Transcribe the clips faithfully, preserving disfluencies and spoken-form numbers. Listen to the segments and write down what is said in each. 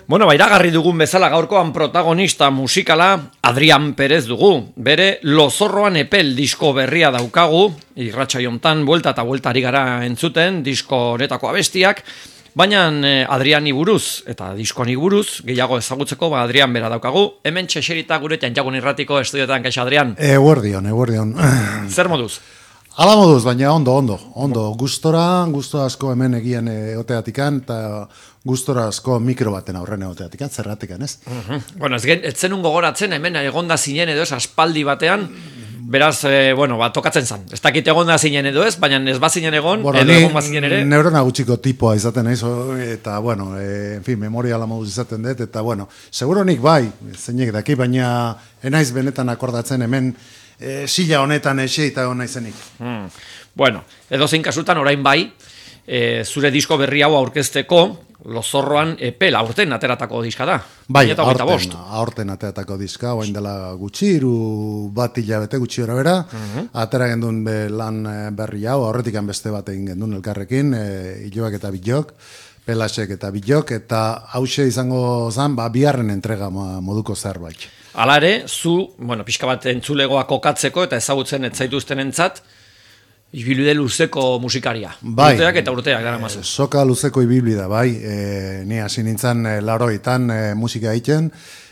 Bueno, bairagarri dugun bezala gaurkoan protagonista musikala Adrian Perez dugu. Bere Lozorroan epel disko berria daukagu, irratsaiontan buelta eta buelta ari gara entzuten, disko honetako abestiak, baina Adriani buruz eta diskoani buruz gehiago ezagutzeko ba Adrian bera daukagu. Hemen txeserita guretan jagun irratiko estudioetan, kaixo Adrian. Eguerdion, eguerdion. Zer moduz? Ala moduz, baina ondo, ondo, ondo. Gustora, gusto asko hemen egian egoteatikan, eta gustora asko mikro baten aurren egoteatikan, zerratikan, ez? Uh-huh. Bueno, ez, ez zenun gogoratzen, hemen egonda zinen edo ez, aspaldi batean, beraz, eh, bueno, ba, tokatzen zan. Ez dakit egonda zinen edo ez, baina ez bazinen egon, bueno, edo egon bazinen ere. Neurona gutxiko tipoa izaten naiz, eta, bueno, e, en fin, memoria la moduz izaten dut, eta, bueno, seguro nik bai, zeinek daki, baina enaiz benetan akordatzen hemen, E, sila honetan ese eta hona izenik. Hmm. Bueno, edo zein kasutan orain bai, e, zure disko berri hau aurkezteko, Lozorroan epel aurten ateratako diska da. Bai, aurten, aurten ateratako diska, oain dela gutxi, iru bat hilabete gutxi ora bera, uh-huh. Atera gendun be lan berri hau, aurretikan beste bat egin gendun elkarrekin, e, Iloak eta Bilok, Pelasek eta Bilok, eta hause izango zan, ba, biharren entrega moduko zerbait. Hala ere, zu, bueno, pixka bat entzulegoa kokatzeko eta ezagutzen etzaituzten entzat, ibilbide luzeko musikaria. Bai, urteak eta urteak dara mazu. Soka luzeko ibilbide, bai. E, ni hasi nintzen e, laroitan e, musika egiten,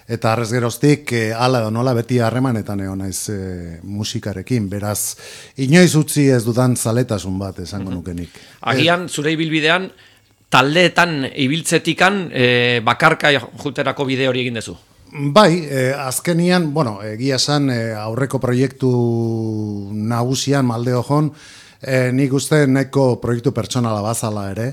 eta arrez geroztik, e, ala edo nola beti harremanetan egon naiz e, musikarekin. Beraz, inoiz utzi ez dudan zaletasun bat esango uh-huh. nukenik. Agian, zure ibilbidean, taldeetan ibiltzetikan e, bakarka juterako bide hori egin dezu. Bai, eh, azkenian, bueno, egia esan eh, aurreko proiektu nagusian maldeo jon, eh, nik uste nahiko proiektu pertsonala bazala ere,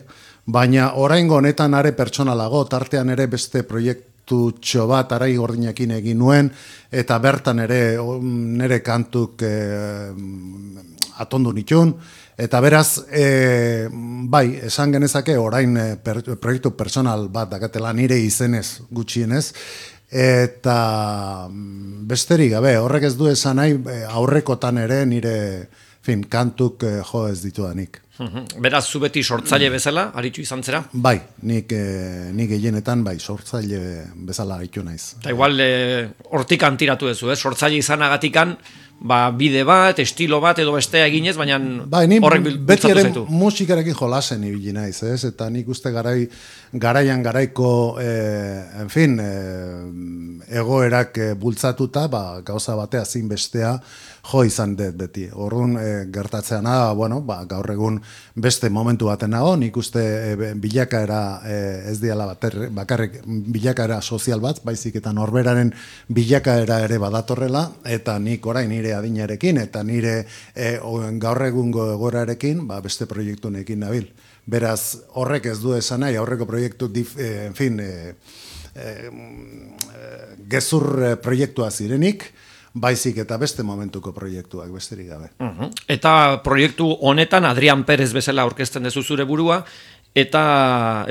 baina oraingo honetan are pertsonalago, tartean ere beste proiektu txo bat arai gordinekin egin nuen, eta bertan ere nere kantuk eh, atondu nitun, eta beraz, e, bai, esan genezake orain e, per, proiektu personal bat dakatela nire izenez gutxienez, eta besterik gabe, horrek ez du esan nahi aurrekotan ere nire fin, kantuk jo ez ditudanik. Beraz, zu beti sortzaile bezala, aritu izan zera? Bai, nik, eh, nik gehienetan bai, sortzaile bezala aritu naiz. Eta igual, eh, hortik antiratu duzu, eh? Sortzaile izanagatikan, ba, bide bat, estilo bat edo bestea eginez, baina bai, ni horrek beti ere zaitu. Musikarekin jolasen ibili naiz, ez? Eta nik uste garai, garaian garaiko, eh, en fin, eh, egoerak eh, bultzatuta, ba, gauza batea zin bestea jo izan dut beti. Orrun eh, gertatzean da, bueno, ba, gaur egun beste momentu baten nago, nik uste eh, bilakaera eh, ez diala bater, bakarrik bilakaera sozial bat, baizik eta norberaren bilakaera ere badatorrela, eta nik orain nire adinarekin, eta nire eh, gaur egungo egoerarekin, ba, beste proiektunekin nabil. Beraz, horrek ez du esan nahi, aurreko proiektu, dif, eh, en fin, eh, eh, gezur eh, proiektua zirenik, baizik eta beste momentuko proiektuak besterik gabe. Uh-huh. Eta proiektu honetan Adrian Perez bezala aurkezten dezu zure burua, eta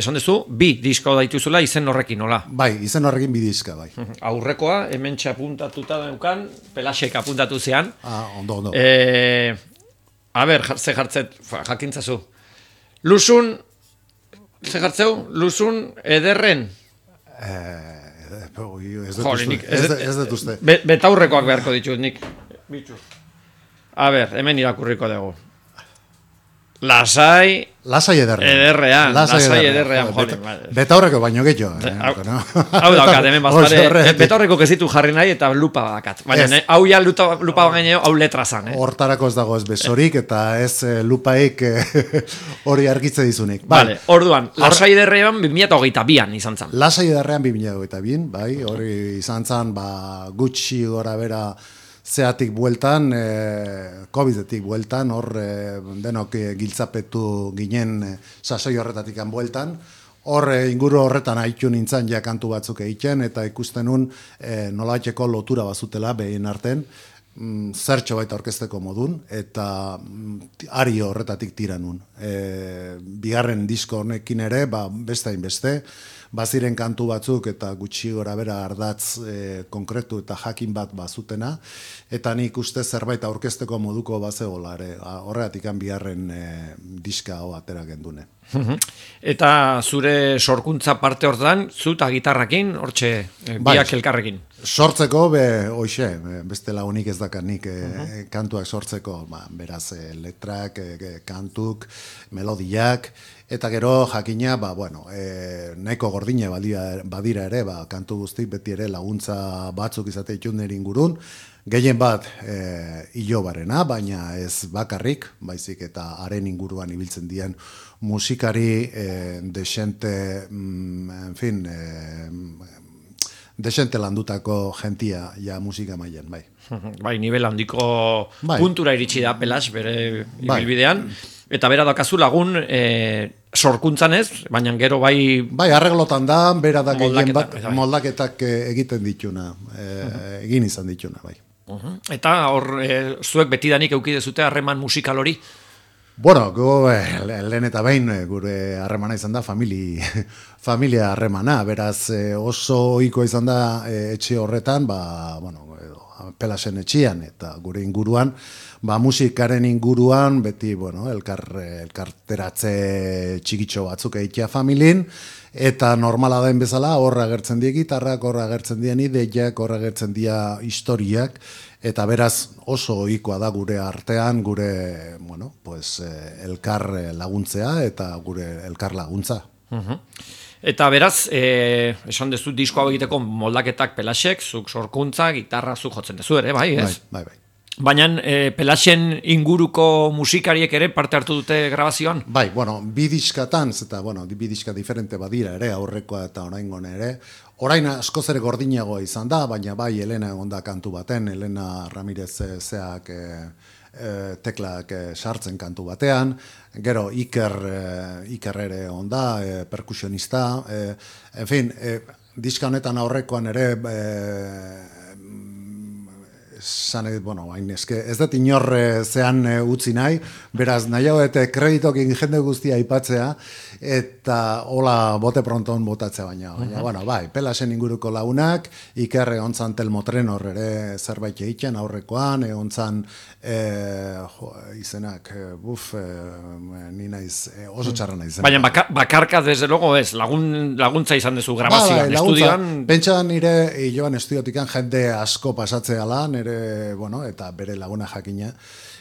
esan dezu, bi disko daituzula izen horrekin, nola? Bai, izen horrekin bi diska, bai. Uh-huh. Aurrekoa, hemen txapuntatuta daukan, Pelasek apuntatu zean. Ah, ondo, ondo. E, a ber, ze jartzet, jakintzazu. Luzun, ze jartzeu? Luzun ederren? Eh... Ez dut uste. Betaurrekoak beharko ditut, nik. Bitxu. A ber, hemen irakurriko dugu. Lasai... Lasai ederrean. Ederrean, lasai ederrean. Betaurreko baino gehiago. Hau daukat, hemen bazpare. Betaurreko kezitu jarri nahi eta lupa badakat. Baina, hau ja lupa bagaineo, hau letra zan. Hortarako ez dago ez besorik eta ez lupaik hori argitze dizunik. Vale, orduan, lasai ederrean bi mila hogeita bian izan zan. Lasai ederrean bi mila hogeita bian, bai, hori izan zan, ba, gutxi gora bera zeatik bueltan, e, covidetik bueltan, hor e, denok e, giltzapetu ginen e, sasoi horretatik bueltan, hor e, inguru horretan haitu nintzen ja kantu batzuk egiten, eta ikusten nun e, nolaiteko lotura bazutela behin arten, mm, zertxo baita orkesteko modun, eta mm, ari horretatik tira nun. E, bigarren disko honekin ere, ba, beste hainbeste, baziren kantu batzuk eta gutxi gora bera ardatz e, konkretu eta jakin bat bazutena, eta nik uste zerbait aurkezteko moduko bazegola ere, horregatik biharren e, diska hau atera gendune. Eta zure sorkuntza parte hortan, zu eta gitarrakin, hortxe e, biak bai, elkarrekin? Sortzeko, be, hoxe, beste lagunik ez dakanik e, uh -huh. kantuak sortzeko, ba, beraz, e, letrak, e, kantuk, melodiak, eta gero jakina, ba, bueno, e, nahiko gordine badira, badira ere, ba, kantu guztik beti ere laguntza batzuk izate itun ingurun, gehien bat e, ilobarena, baina ez bakarrik, baizik eta haren inguruan ibiltzen dien musikari e, desente, mm, en fin, e, desente landutako gentia ja musika mailan, bai. Bai, nivel handiko bai. Puntura iritsi da Pelas bere ibilbidean, bai. Eta bera dakazu lagun e, sorkuntzan ez, baina gero bai... Bai, arreglotan da, bera da gehien bat moldaketak egiten dituna, e, uh-huh. egin izan dituna, bai. Uh-huh. Eta hor, e, zuek betidanik eukidezute harreman musikal hori? Bueno, go, eh, lehen eta behin gure harremana izan da famili, familia harremana, beraz eh, oso ohiko izan da eh, etxe horretan, ba, bueno, Pelasen etxean eta gure inguruan, ba, musikaren inguruan, beti, bueno, elkar, elkarteratze txikitxo batzuk egitea familin, eta normala den bezala, horra agertzen die gitarrak, horra agertzen dien ideiak, horra agertzen dia historiak, eta beraz oso ohikoa da gure artean, gure, bueno, pues, elkar laguntzea eta gure elkar laguntza. Uh-huh. Eta beraz, eh, esan dezu disko hau egiteko moldaketak Pelasek, zuk sorkuntza, gitarra zuk jotzen dezu ere, bai, ez? Bai, bai, bai. Baina eh, Pelasen inguruko musikariek ere parte hartu dute grabazioan? Bai, bueno, bi diskatan, eta bueno, bi diska diferente badira ere, aurrekoa eta oraingoa ere. Orain askoz ere gordinagoa izan da, baina bai, Elena egon da kantu baten, Elena Ramirez zeak e, e, teklak e, sartzen kantu batean, gero Iker, e, Iker ere egon da, e, perkusionista, e, en fin, e, diska honetan aurrekoan ere... E, Zane, bueno, hain eske, ez dut inor zean utzi nahi, beraz nahiago eta kreditokin jende guztia aipatzea, eta hola bote pronton botatzea baina. Baina, uh-huh. bueno, bai, Pelasen inguruko lagunak, Iker egontzan Telmotrenor ere zerbait egiten aurrekoan, egontzan e, jo, izenak, buf, e, ni naiz, e, oso txarra naiz. Baina baka, bakarka, desde luego ez, lagun, laguntza izan dezu grabazioan, ba, bai, estudioan? Pentsa nire, joan estudiotikan jende asko pasatzea lan, ere bueno, eta bere laguna jakina.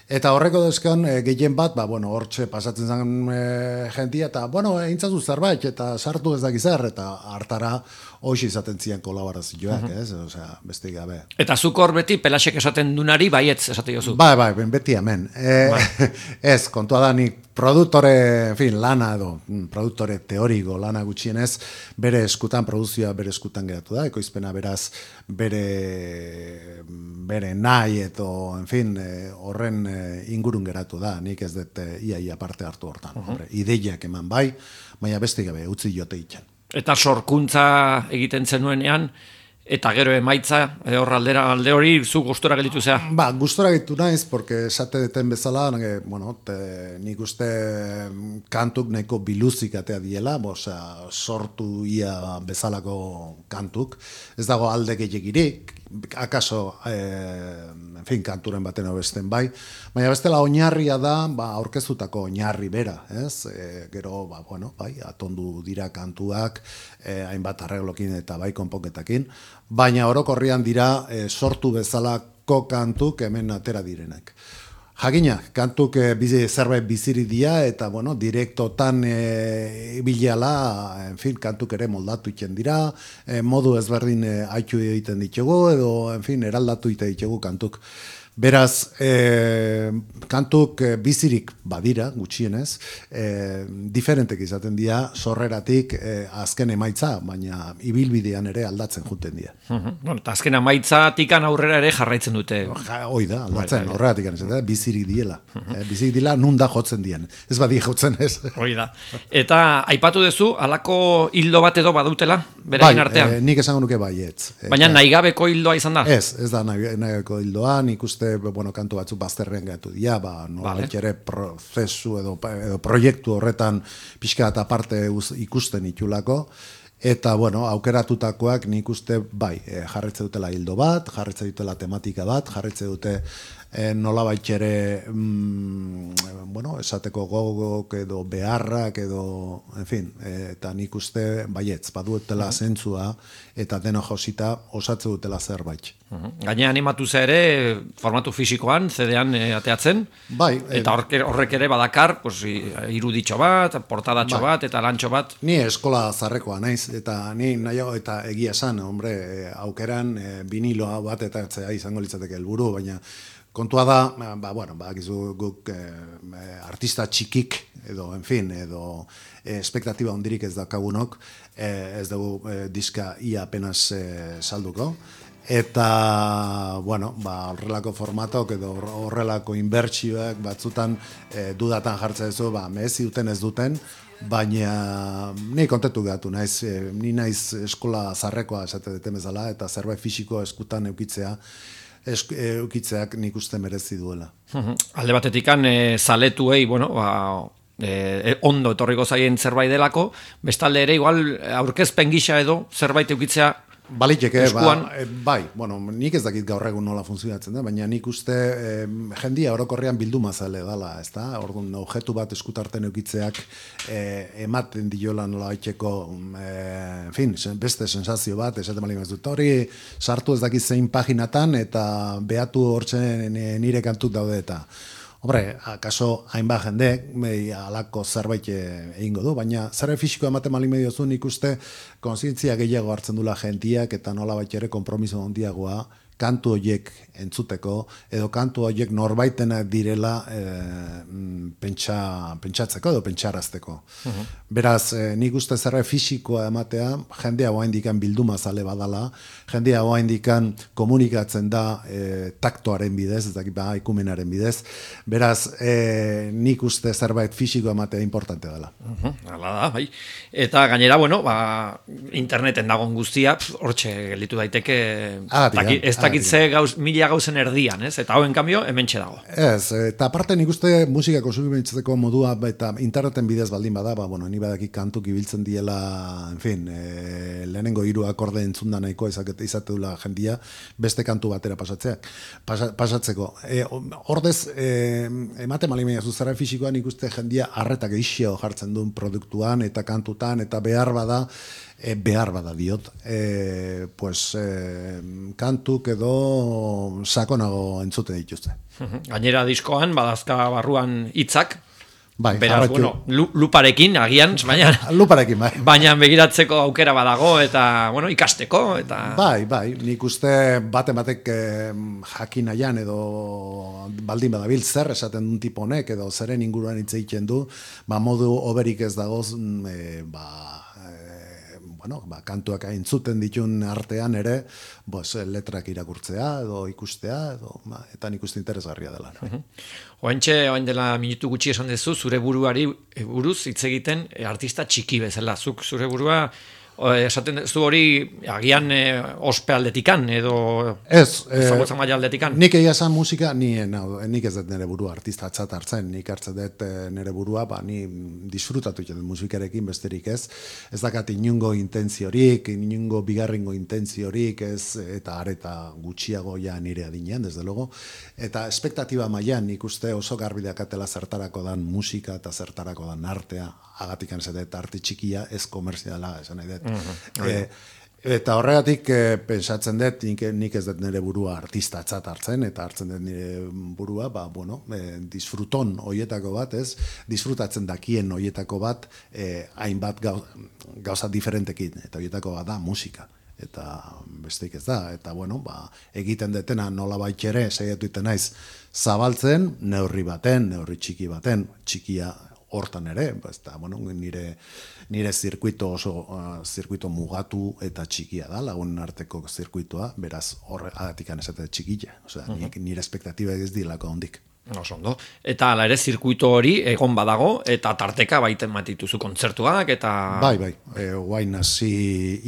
Eta horreko dezkan, e, gehien bat, ba, bueno, hortxe pasatzen zen e, jentia, eta, bueno, eintzazu zerbait, eta sartu ez dakizar, eta hartara hoxe izaten zian kolaborazioak, uh-huh. ez? Osea, beste gabe. Eta zuk hor beti Pelasek esaten dunari, baietz esate jozu? Bai, bai, beti hemen. E, bai. Ez, kontua da nik produktore, en fin, lana edo, produktore teoriko lana gutxienez, bere eskutan, produzioa bere eskutan geratu da, ekoizpena beraz bere, bere nahi edo, en fin, horren ingurun geratu da, nik ez dut iaia parte hartu hortan. Uh-huh. Hombre, ideiak eman bai, baina beste gabe, utzi jote itxan. Eta sorkuntza egiten zenuenean, eta gero emaitza, hor aldera alde hori, zu gustora gelditu zea? Ba, gustora gelditu naiz, porque esate deten bezala, nage, bueno, te, nik uste kantuk nahiko biluzik atea diela, osea, sortu ia bezalako kantuk, ez dago alde gehiagirik, akaso, eh, en fin, kanturen baten obesten bai, baina bestela oinarria da, ba, aurkezutako oinarri bera, ez? E, gero, ba, bueno, bai, atondu dira kantuak, eh, hainbat arreglokin eta bai konponketakin, baina orokorrian dira eh, sortu bezalako kantuk hemen atera direnak. Jakina, kantuk e, bizi, zerbait biziri dia, eta, bueno, direktotan e, bileala, en fin, kantuk ere moldatu iten dira, e, modu ezberdin e, haitu egiten ditugu, edo, en fin, eraldatu egiten ditugu kantuk. Beraz, e, kantuk e, bizirik badira, gutxienez, e, diferentek izaten dira, sorreratik e, azken emaitza, baina ibilbidean ere aldatzen juten dira. Uh-huh. Bueno, eta azken emaitza tikan aurrera ere jarraitzen dute. Ja, hoi da, aldatzen, horregatik anez, bizirik diela. Uh-huh. e, bizirik dila nun da jotzen dien. Ez badi jotzen ez. Hoi da. Eta aipatu duzu, halako hildo bat edo badutela, berain bai, artean? E, nik esango nuke baietz. Baina nahigabeko hildoa izan da? Ez, ez da nahigabeko hildoa, nik uste bueno, kantu batzu bazterren gatu dira, ba, nolait ere prozesu edo, edo proiektu horretan pixka eta parte ikusten itulako, Eta, bueno, aukeratutakoak nik uste, bai, e, jarretze dutela hildo bat, jarretze dutela tematika bat, jarretze dute e, nolabait ere, mm, bueno, esateko gogok edo beharrak edo, en fin, e, eta nik uste, baietz, baduetela zentzua eta deno josita osatze dutela zerbait. Gaine animatu ze ere, formatu fisikoan, C D-an e, ateatzen, bai, eta horrek, horrek ere badakar, pues, iruditxo bat, portadatxo bai. bat, eta lantxo bat. Ni eskola zarrekoa naiz, eta ni nahiago eta egia esan, hombre, aukeran e, biniloa bat eta etzea izango litzateke helburu, baina kontua da, ba, bueno, ba, gizu guk e, artista txikik, edo, en fin, edo e, espektatiba hondirik ez dakagunok, e, ez dugu e, diska ia apenas e, salduko, eta, bueno, ba, horrelako formatok edo horrelako inbertsioak batzutan e, dudatan jartzen duzu, ba, mehezi duten ez duten, baina ni kontentu gehatu naiz, e, ni naiz eskola zarrekoa esate deten bezala, eta zerbait fisiko eskutan eukitzea, esk, eukitzeak nik uste merezi duela. Alde batetikan, e, zaletuei, bueno, ba, e, ondo etorriko zaien zerbait delako, bestalde ere, igual, aurkezpen gisa edo, zerbait eukitzea, Baliteke, ba, e, bai, bueno, nik ez dakit gaur egun nola funtzionatzen da, baina nik uste e, jendia orokorrean bilduma zale dala, ez da? Orduan, objektu bat eskutarten eukitzeak e, ematen diola nola baiteko, e, en fin, beste sensazio bat, esaten bali dut, hori sartu ez dakit zein paginatan, eta behatu hortzen nire kantuk daude eta. Hombre, akaso hainbat jendek halako zerbait egingo du, baina zerbait fisiko ematen bali mediozu nik uste kontzientzia gehiago hartzen dula jentiak eta nolabait ere konpromiso handiagoa kantu horiek entzuteko, edo kantu horiek norbaitenak direla e, pentsa, pentsatzeko edo pentsarazteko. Uh-huh. Beraz, e, nik uste zerbait fisikoa ematea, jendea hoa indikan bilduma zale badala, jendea hoa indikan komunikatzen da e, taktoaren bidez, ez dakit ba, ikumenaren bidez, beraz, e, nik uste zerbait fisikoa ematea importante dela. Uh-huh. Hala da, bai. Eta gainera, bueno, ba, interneten dagoen guztia, hortxe gelditu daiteke, ah, taki, ez dakitze gauz, mila gauzen erdian, ez? Eta hauen kambio, hementxe dago. Ez, eta aparte nik uste musika konsumitzeko modua eta interneten bidez baldin bada, ba, bueno, ni badaki kantuk ibiltzen diela, en fin, e, lehenengo hiru akorde entzunda nahikoa izate, izate dula jendia, beste kantu batera pasatzeak, pasa, pasatzeko. E, ordez, e, emate malimenia zuzara fisikoan nik uste jendia arretak eixio jartzen duen produktuan, eta kantutan, eta behar bada, E, behar bada diot, e, pues, e, kantuk edo sakonago entzute dituzte. Gainera diskoan, badazka barruan hitzak, bai, beraz, arratxu, bueno, luparekin, agian, baina, luparekin, bai. baina begiratzeko aukera badago, eta, bueno, ikasteko, eta... Bai, bai, nik uste baten batek eh, jakin nahian edo baldin badabil zer esaten duen tipo honek, edo zeren inguruan hitz egiten du, ba, modu oberik ez dagoz, e, ba, bueno, ba, kantuak entzuten ditun artean ere, bos, letrak irakurtzea edo ikustea, edo, ba, eta nik uste interesgarria dela. No? Uh-huh. Oaintxe, oain dela minutu gutxi esan dezu, zure buruari buruz hitz egiten artista txiki bezala. Zuk zure burua esaten zu hori agian e, ospe aldetikan edo ez, ezagutza maila aldetikan. Nik egia esan musika, ni, no, nik ez dut nire burua artista atzat hartzen, nik hartzen dut nire burua, ba, ni disfrutatu dut musikarekin besterik ez, ez dakat inungo intentziorik, inungo bigarrengo intentziorik ez, eta areta gutxiago ja nire adinean, desde logo, eta espektatiba mailan nik uste oso garbi dakatela zertarako dan musika eta zertarako dan artea, agatik anzadet arte txikia ez komerziala, esan nahi dut. Mm-hmm. E, eta horregatik e, pensatzen dut, nik, nik ez dut nire burua artista atzat hartzen, eta hartzen dut nire burua, ba, bueno, e, disfruton hoietako bat, ez? Disfrutatzen dakien hoietako bat, e, hainbat gau, gauza diferentekin, eta hoietako bat da musika. Eta besteik ez da, eta bueno, ba, egiten detena nola baitxere, saiatu iten naiz, zabaltzen, neurri baten, neurri txiki baten, txikia hortan ere, eta bueno, nire, nire zirkuito oso uh, zirkuito mugatu eta txikia da, lagunen arteko zirkuitoa, beraz horregatik esate txikia, osea, uh-huh. nire espektatiba ez dilako hondik. Oso ondo. Eta ala ere zirkuito hori egon badago, eta tarteka baiten matituzu kontzertuak, eta... Bai, bai, e, guain hasi,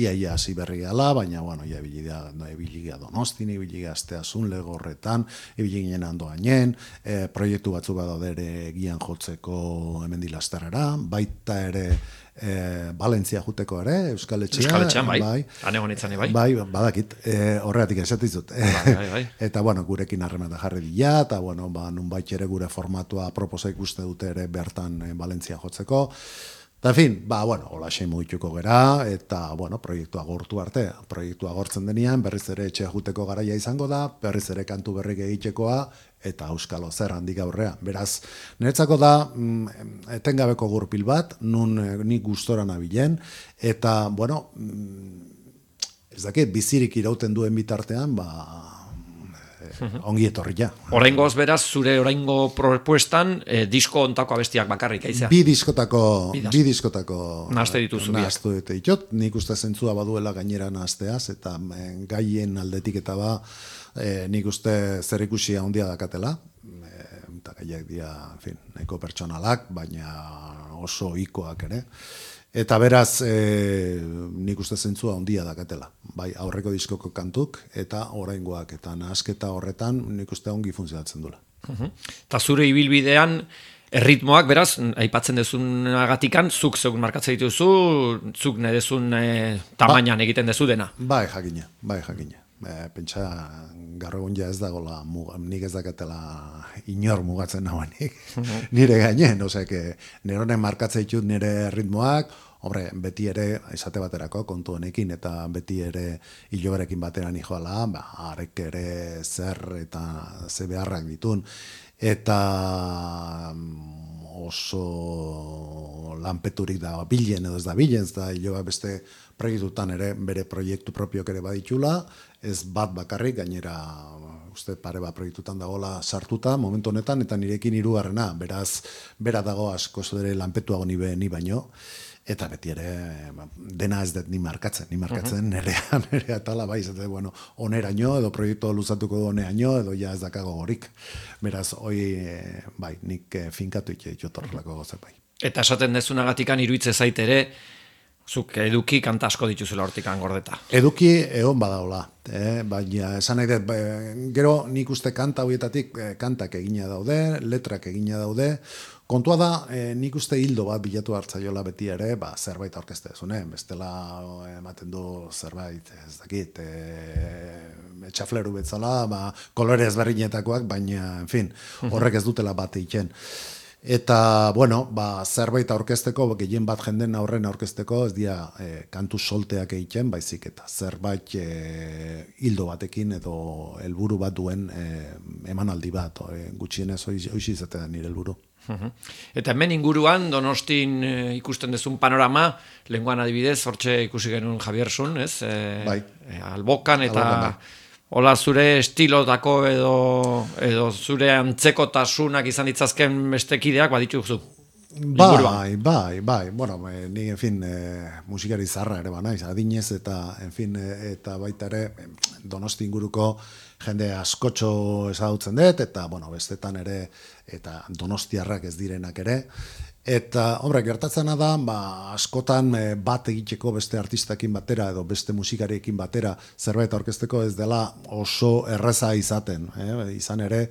iaia hasi berri gala, baina, bueno, ia ebiligia Donostin, ebiligia Asteasun, Legorretan, ebiligien ando gainen, e, proiektu batzu badaude ere gian jotzeko hemendi lasterrera, baita ere e, Valentzia juteko ere, Euskal Etxea. Euskal Etxean, bai. bai. Hane honetzane, bai. Bai, badakit, e, horregatik esatizut. Bai, bai, bai. Eta, bueno, gurekin harremata jarri dira, eta, bueno, ba, nunbait ere gure formatua proposa ikuste dute ere bertan e, Valentzia jotzeko. Eta, en fin, ba, bueno, hola xe mugituko gera, eta, bueno, proiektua agortu arte. Proiektua agortzen denean, berriz ere etxe juteko garaia izango da, berriz ere kantu berrik egitekoa, eta euskalo zer handik aurrea. Beraz, niretzako da, mm, etengabeko gurpil bat, nun eh, nik gustora nabilen, eta, bueno, mm, ez dakit, bizirik irauten duen bitartean, ba, ongi etorri ja. Oraingoz beraz, zure oraingo propuestan eh, disko ontako abestiak bakarrik, aizea? Bi diskotako, bi diskotako nahazte dituzu biak. Nahaztu dute ditut, nik uste zentzua baduela gainera nahazteaz, eta eh, gaien aldetik eta ba, eh, nik uste zer ikusi handia dakatela, eh, eta gaiak dira, en fin, nahiko pertsonalak, baina oso ikoak ere. Eta beraz, e, nik uste zentzua handia dakatela. Bai, aurreko diskoko kantuk, eta oraingoak, eta nahasketa horretan nik uste ongi funtzionatzen dula. Eta zure ibilbidean, erritmoak, beraz, aipatzen dezunagatikan, zuk zeuk markatzen dituzu, zuk nedezun e, tamainan ba, egiten dezu dena. Bai, jakina, bai, jakina. E, pentsa, gaur egun ja ez dagoela, nik ez dakatela inor mugatzen nagoenik, nire gainen, osea, neronen markatzen ditut nire ritmoak, hombre, beti ere, esate baterako, kontu honekin, eta beti ere hiloberekin batera nijoala, ba, arek ere zer eta ze beharrak ditun, eta oso lanpeturik da bilen edo ez da bilen, ez da hiloa beste proiektutan ere, bere proiektu propiok ere baditula, ez bat bakarrik, gainera uste pare bat proiektutan dagoela sartuta momentu honetan, eta nirekin hirugarrena, beraz, bera dago asko ere lanpetuago ni, ni baino, eta beti ere dena ez dut ni markatzen, ni markatzen nerea, nerea tala bai, zate, bueno, oneraino, edo proiektu luzatuko du oneraino, edo ja ez dakago gorik. Beraz, hoi, bai, nik finkatu itxe torrelako gozak bai. Eta esaten dezunagatikan iruitze zait ere, zuk eduki kanta asko dituzula hortikan gordeta. Eduki egon badaola, eh? Baina esan nahi dut, ba, gero nik uste kanta horietatik eh, kantak egina daude, letrak egina daude, kontua da, eh, nik uste hildo bat bilatu hartzaiola beti ere, ba, zerbait aurkezte zune, bestela ematen du zerbait, ez dakit, eh, etxafleru betzala, ba, kolore ezberdinetakoak, baina, en fin, horrek ez dutela bat egiten. Eta, bueno, ba, zerbait aurkezteko, gehien bat jenden aurren aurkezteko, ez dira e, kantu solteak egiten, baizik eta zerbait e, hildo batekin edo helburu bat duen e, emanaldi bat, e, gutxienez hoizi izatea nire helburu. Eta hemen inguruan, Donostin e, ikusten dezun panorama, lenguan adibidez, hortxe ikusi genuen Javiersun, ez? E, bai. E, albokan eta... Albokan, bai. Hola, zure estilotako edo, edo zure antzekotasunak izan ditzazken bestekideak badituzu. Bai, bai, bai. Bueno, ni, en fin, e, musikari zarra ere banaiz, adinez eta, en fin, e, eta baita ere Donosti inguruko jende askotxo ezagutzen dut, eta, bueno, bestetan ere, eta donostiarrak ez direnak ere. Eta, hombre, gertatzena da, ba, askotan e, bat egiteko beste artistakin batera edo beste musikariekin batera zerbait aurkezteko ez dela oso erreza izaten. Eh? Izan ere,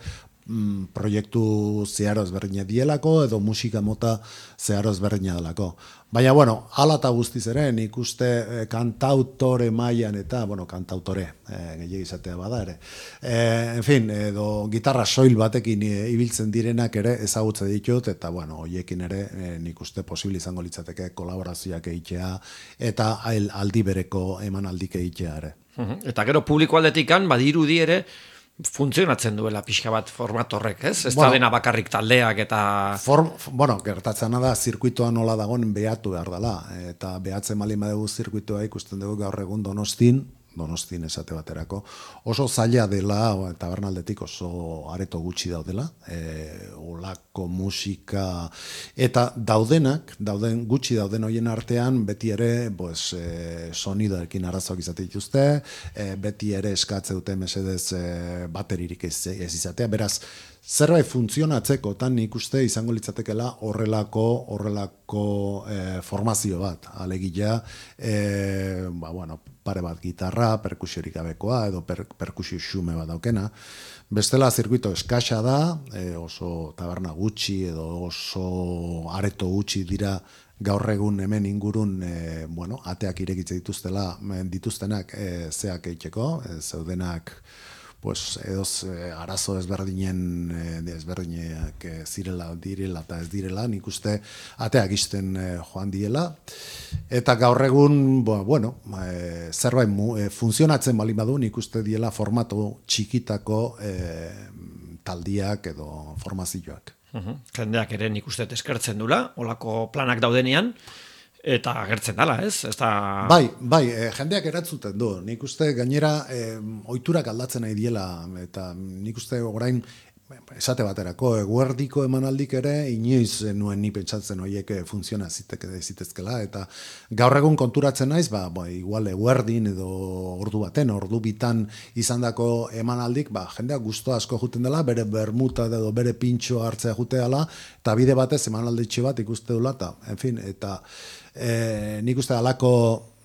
mm, proiektu zeharo ezberdina dielako edo musika mota zeharo ezberdina delako. Baina, bueno, hala eta guztiz ere, nik uste eh, kantautore mailan eta, bueno, kantautore, eh, gehiago izatea bada ere. Eh, en fin, edo gitarra soil batekin e, ibiltzen direnak ere ezagutze ditut, eta, bueno, hoiekin ere eh, nik uste posible izango litzateke kolaborazioak egitea, eta aldi bereko emanaldik egitea ere. Eta gero publiko aldetikan, badirudi ere, funtzionatzen duela pixka bat format horrek, ez? Ez bueno, da dena bakarrik taldeak eta... Form, bueno, gertatzen da, zirkuitoa nola dagoen behatu behar dela. Eta behatzen malin badugu zirkuitoa ikusten dugu gaur egun Donostin, Donostin esate baterako, oso zaila dela, tabernaldetik oso areto gutxi daudela, e, olako musika, eta daudenak, dauden gutxi dauden hoien artean, beti ere, pues, e, sonidoekin arazoak izate dituzte, e, beti ere eskatze dute mesedez e, bateririk ez, ez izatea, beraz, zerbait funtzionatzeko tan nik uste izango litzatekela horrelako horrelako e, formazio bat, alegia e, ba, bueno, pare bat gitarra, perkusiorik gabekoa edo per, perkusio xume bat daukena. Bestela zirkuito eskasa da, e, oso taberna gutxi edo oso areto gutxi dira gaur egun hemen ingurun e, bueno, ateak irekitze dituztela dituztenak e, zeak eiteko, e, zeudenak pues edoz eh, arazo ezberdinen eh, ezberdinak eh, zirela direla eta ez direla, nik uste ateak isten eh, joan diela eta gaur egun bo, bueno, eh, zerbait mu, eh, funtzionatzen bali badu, nik uste diela formatu txikitako eh, taldiak edo formazioak. Uh-huh. Jendeak ere nik uste eskertzen dula, olako planak daudenean. Eta agertzen dala, ez? ez da... Bai, bai, e, jendeak eratzuten du. Nik uste gainera e, ohiturak aldatzen nahi diela, eta nik uste orain esate baterako eguerdiko emanaldik ere inoiz nuen ni pentsatzen horiek funtziona zitezkela, eta gaur egun konturatzen naiz, ba, ba, igual eguerdin edo ordu baten, ordu bitan izandako emanaldik, ba, jendeak gusto asko juten dela, bere bermuta edo bere pintxo hartzea juteala, eta bide batez emanalditxe bat ikuste dula, eta, en fin, eta E, nik uste alako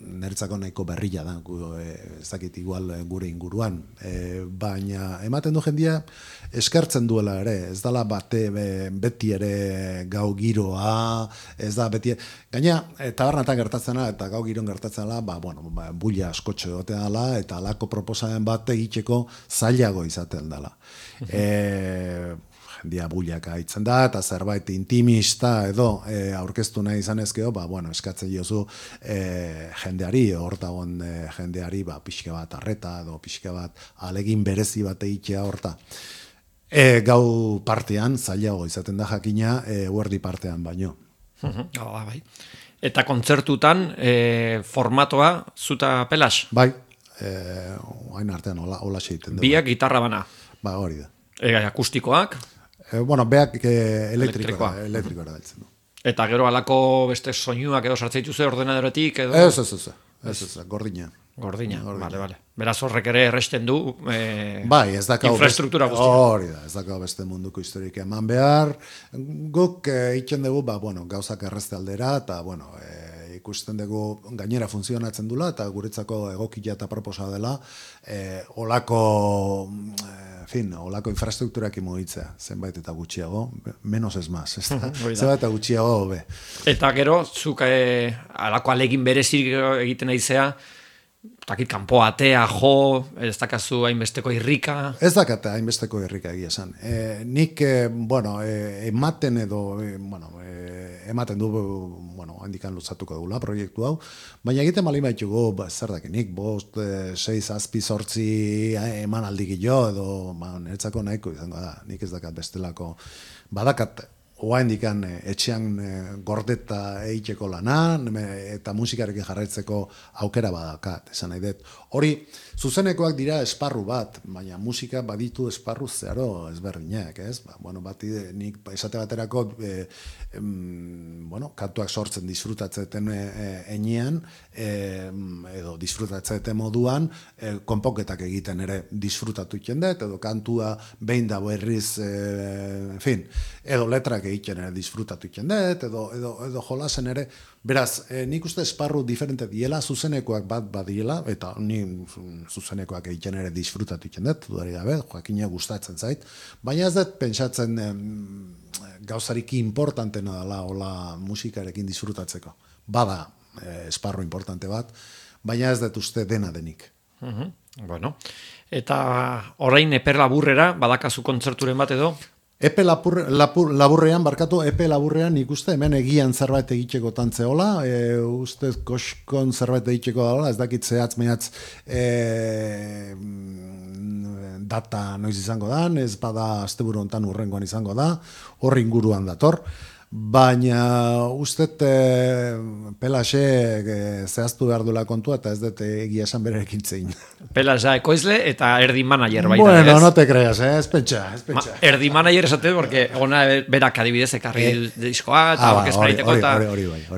niretzako nahiko berrila da, e, ez dakit igual gure inguruan, e, baina ematen du jendia eskertzen duela ere, ez dala bate be, beti ere gau giroa, ez da beti, gaina e, tabernatan gertatzena eta gau giron gertatzena, ba, bueno, ba, bulla askotxo egotea dela, eta alako proposamen bat egiteko zailago izaten dela. e, dia bullaka itzen da, eta zerbait intimista edo e, aurkeztu nahi izan ezkeo, ba, bueno, eskatzen jozu e, jendeari, hortagon e, jendeari, ba, pixka bat arreta edo pixka bat alegin berezi bat egitea horta. E, gau partean, zailago izaten da jakina, e, huerdi partean baino. Uh-huh. Oh, bai. Eta kontzertutan e, formatoa zuta pelas? Bai, e, hain artean hola, hola egiten du. Biak gitarra bana? Ba, hori da. E, akustikoak? E, bueno, beak e, elektrikoa, elektrikoa daltzen du. Eta gero alako beste soinuak edo sartzen dituzu ordenadoretik edo? Ez, ez, ez, ez, ez, gordina. Gordina, bale, bale. Beraz horrek ere erresten du e, bai, ez dakau infrastruktura beste, guztia. Hori da, ez dakau beste munduko historik eman behar. Guk e, itzen dugu, ba, bueno, gauzak errezte aldera, eta, bueno, e, ikusten dugu gainera funtzionatzen dula, eta guretzako egokia eta proposa dela, e, olako, e, fin, olako infrastrukturak imugitzea, zenbait eta gutxiago, menos ez maz, ez da, zenbait eta gutxiago hobe. Eta gero, zuk e, alako alegin berezik egiten aizea, takit kanpo atea, jo, ez dakazu hainbesteko irrika? Ez dakate hainbesteko irrika egia esan. E, nik, e, bueno, e, ematen edo, e, bueno, e, ematen du, bueno, handikan lutzatuko dugula proiektu hau, baina egiten malin baitugu, ba, zer daki, nik bost, e, seiz, azpi, sortzi eman aldik jo, edo, ba, niretzako nahiko izango da, nik ez dakat bestelako, badakat, oain dikan etxean gordeta eiteko lana, eta musikarekin jarraitzeko aukera badakat, esan nahi dut. Hori, zuzenekoak dira esparru bat, baina musika baditu esparru zeharo ezberdinak, ez? Ba, bueno, bat nik esate baterako, e, em, bueno, kantuak sortzen disfrutatzeten enean, e, edo disfrutatzeten moduan, e, konponketak egiten ere disfrutatu ikendet, edo kantua behin da berriz, e, en fin, edo letrak egiten ere disfrutatu ikendet, edo, edo, edo jolasen ere, beraz, e, nik uste esparru diferente diela, zuzenekoak bat badiela, eta ni zuzenekoak egiten ere disfrutatu ikendet, dudari gabe, joakina gustatzen zait, baina ez dut pentsatzen em, gauzariki importantena dela hola musikarekin disfrutatzeko. Bada e, esparru importante bat, baina ez dut uste dena denik. Uh-huh. Bueno, eta orain eper laburrera, badakazu kontzerturen bat edo? Epe lapur, lapur, laburrean, barkatu, epe laburrean ikuste, hemen egian zerbait egiteko tantzeola, e, ustez koskon zerbait egiteko dala, ez dakit zehatz mehatz e, data noiz izango da, ez bada asteburu hontan urrengoan izango da, horri inguruan dator, baina ustet e, Pelaxe e, zehaztu behar duela kontua, eta ez dut egia esan bererekin zein. Pelaxa ekoizle eta erdi manager baita. Bueno, no te creas, eh? ez pentsa, ez pentsa. Ma, erdi manager esate, porque ona berak adibidez ekarri eh? diskoa, eta ah, orkestra egiteko, eta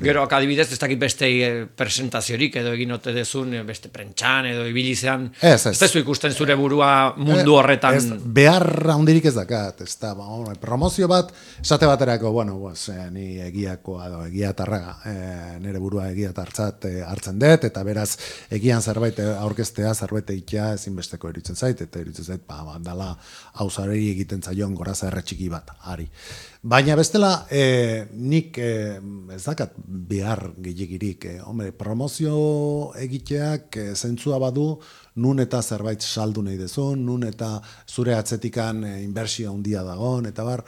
gero adibidez ez dakit beste presentaziorik edo egin ote dezun, beste prentxan edo ibilizean, ez, ez. ez tezu ikusten zure burua mundu horretan. Ez, behar handirik ez dakat, ez da, ba, promozio bat, esate baterako, bueno, pues, pues eh, ni egiakoa edo egiatarra eh, nire burua egiatartzat eh, hartzen dut, eta beraz egian zerbait aurkeztea, zerbait egitea ezinbesteko iruditzen zait, eta iruditzen zait, ba, ba dala hausarei egiten zaion goraza erretxiki bat, ari. Baina bestela, eh, nik eh, ez dakat behar gehiagirik, eh, hombre, promozio egiteak eh, zentzua badu, nun eta zerbait saldu nahi dezun, nun eta zure atzetikan eh, inbertsio handia dagoen, eta bar,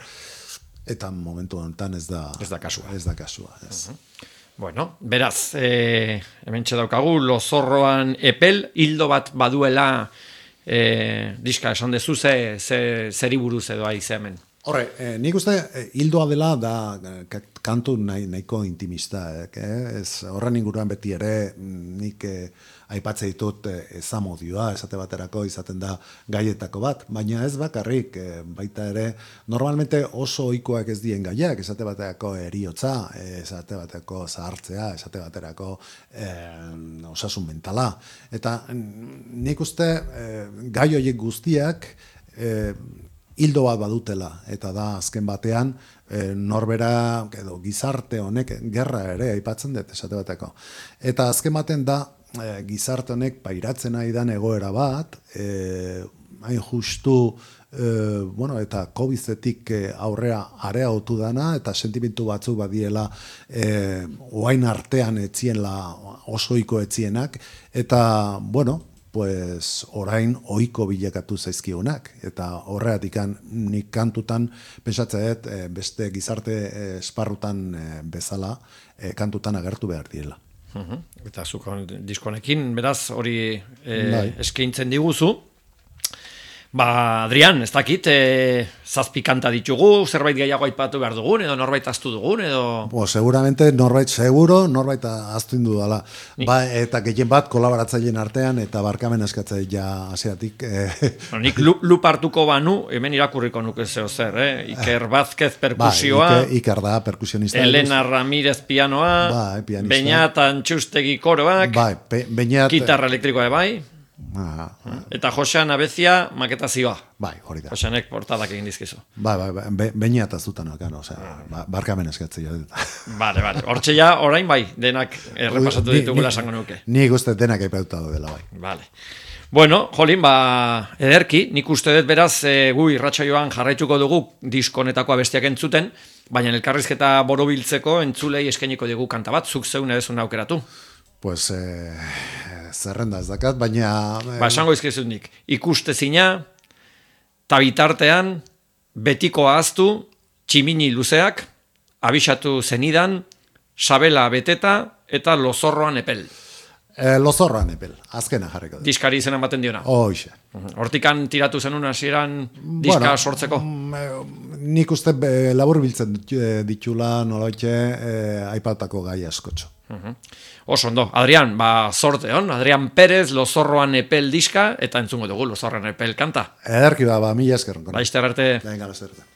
eta momentu honetan ez da, ez da kasua. Ez da kasua, ez. Uh-huh. Bueno, beraz, eh, hemen daukagu, Lozorroan epel, hildo bat baduela, eh, diska esan dezu, ze, ze, zeri buruz edo aize hemen. Horre, eh, nik uste eh, hildoa dela da eh, kantu nahi, nahiko intimista. Eh, ez, horren inguruan beti ere nik eh, aipatze ditut eh, ezamodioa, esate baterako izaten da gaietako bat, baina ez bakarrik, eh, baita ere normalmente oso ohikoak ez dien gaiak, esate baterako eriotza, eh, esate baterako zahartzea, esate baterako eh, osasun mentala. Eta nik uste eh, gai horiek guztiak eh, hildo bat badutela, eta da azken batean e, norbera edo gizarte honek gerra ere aipatzen dut esate bateko. Eta azken baten da e, gizarte honek pairatzen nahi dan egoera bat, e, hain justu e, bueno, eta kobizetik aurrea areagotu dana, eta sentimentu batzuk badiela e, oain artean etzienla osoiko etzienak, eta bueno, pues orain ohiko bilakatu zaizkigunak, eta horregatikan nik kantutan pentsatzen dut beste gizarte esparrutan bezala kantutan agertu behar direla. Uh-huh. Eta zuk diskonekin, beraz, hori e, eskaintzen diguzu. Ba, Adrian, ez dakit, e, zazpi kanta ditugu, zerbait gehiago aipatu behar dugun, edo norbait aztu dugun, edo... Bo, seguramente norbait seguro, norbait aztu indu dala. Ba, eta gehien bat kolaboratzaileen artean, eta barkamen eskatzea ja asiatik. Eh. Bueno, nik lup hartuko banu, hemen irakurriko nuke zeo zer, eh? Iker Vázquez perkusioa, ba, Iker da perkusionista. Elena Ramírez pianoa, ba, pianista. Beñat Antxustegi koroak, ba, Beñat... gitarra elektrikoa bai, Ah, eta Josean Abezia maketazioa. Bai, hori da. Joseanek portadak egin dizkizu. Bai, bai, bai, Beñat azutan okan, osea, barkamen eskatzea. Bale, bale. Hortxe ja, orain bai, denak errepasatu ditugula esango nuke. Nik uste denak aipatuta dela bai. Bale. Bueno, jolin, ba, ederki, nik uste dut beraz, e, gu irratsaioan jarraituko dugu diskonetako abestiak entzuten, baina elkarrizketa borobiltzeko entzulei eskainiko dugu kanta bat, zuk zeune bezun aukeratu. Pues, eh, zerrenda ez dakat, baina... Eh... Ba, esango izkizut nik, ikustezina, tabitartean, betiko ahaztu, tximini luzeak, abisatu zenidan, sabela beteta, eta Lozorroan epel. Eh, Lozorroan epel, azkena jarriko. Diskari izena ematen diona. Hoxe. Hortikan tiratu zenun hasieran diska bueno, sortzeko? Nik uste labur biltzen ditula nolaitxe eh, aipatako gai askotxo. Uh-huh. Oso ondo, Adrian, ba, sorte hon, Adrian Pérez, Lozorroan epel diska, eta entzungo dugu Lozorroan epel kanta. Ederki ba, ba, mila eskerron. Ba, izter arte. Venga, lozerte.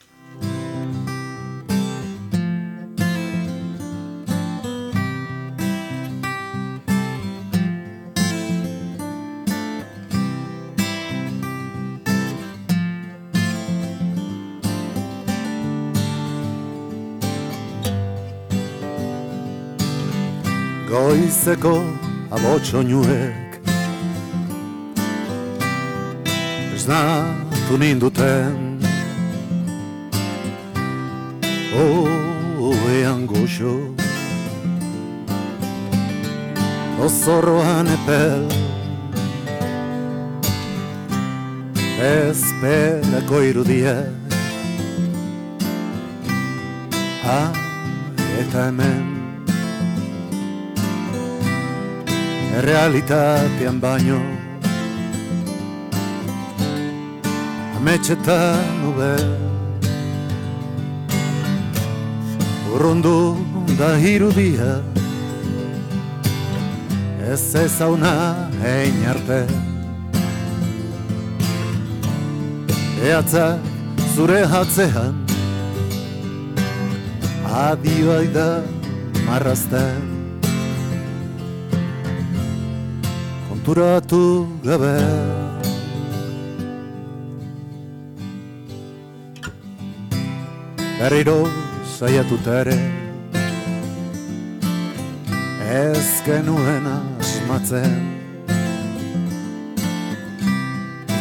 Goizeko abotxoinuek esnatu ninduten oean goxo Lozorroan epel ezperako irudiek ha eta hemen realitatean baino ametxetan nube urrundu da irudia ez ezauna hein arte eatzak zure hatzean adioa da marrazten konturatu gabe berriro saiatuta ere ez genuen asmatzen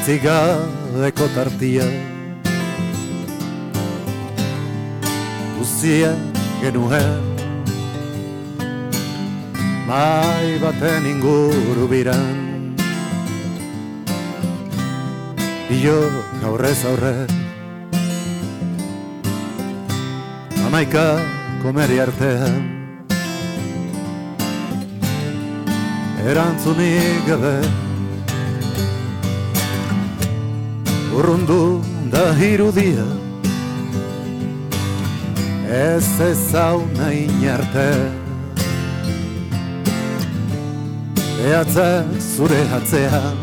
Itzigabeko tartia Guzia genuen Mai baten inguru biran Bio gaurrez aurre Amaika komeri artean Erantzunik gabe Urrundu da irudia Ez ezauna inarte Behatzak zure atzean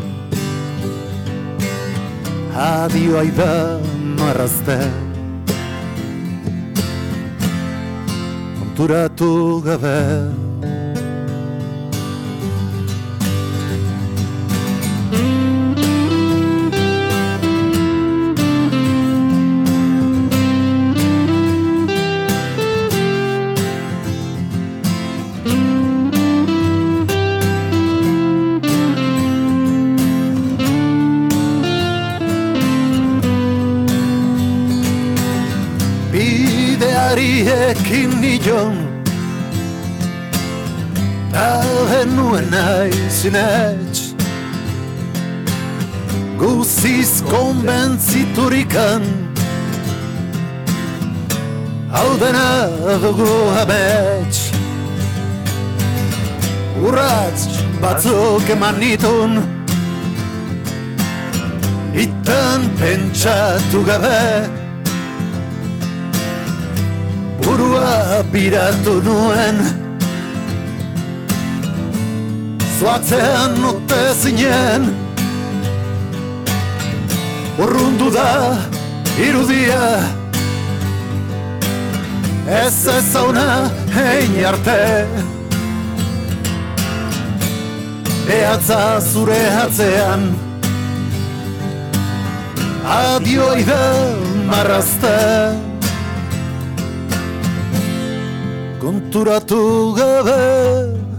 Adioa da marrazten Konturatu gabe Ekin nion Da genuen nahi zinetx Guziz konbentziturikan Hau dena dugu amets Urratz batzuk eman nitun Itan pentsatu gabe Burua biratu nuen Zoatzean note zinen Urrundu da irudia Ez ezauna hein arte Behatza zure atzean Adioi da marrazten Konturatu gabe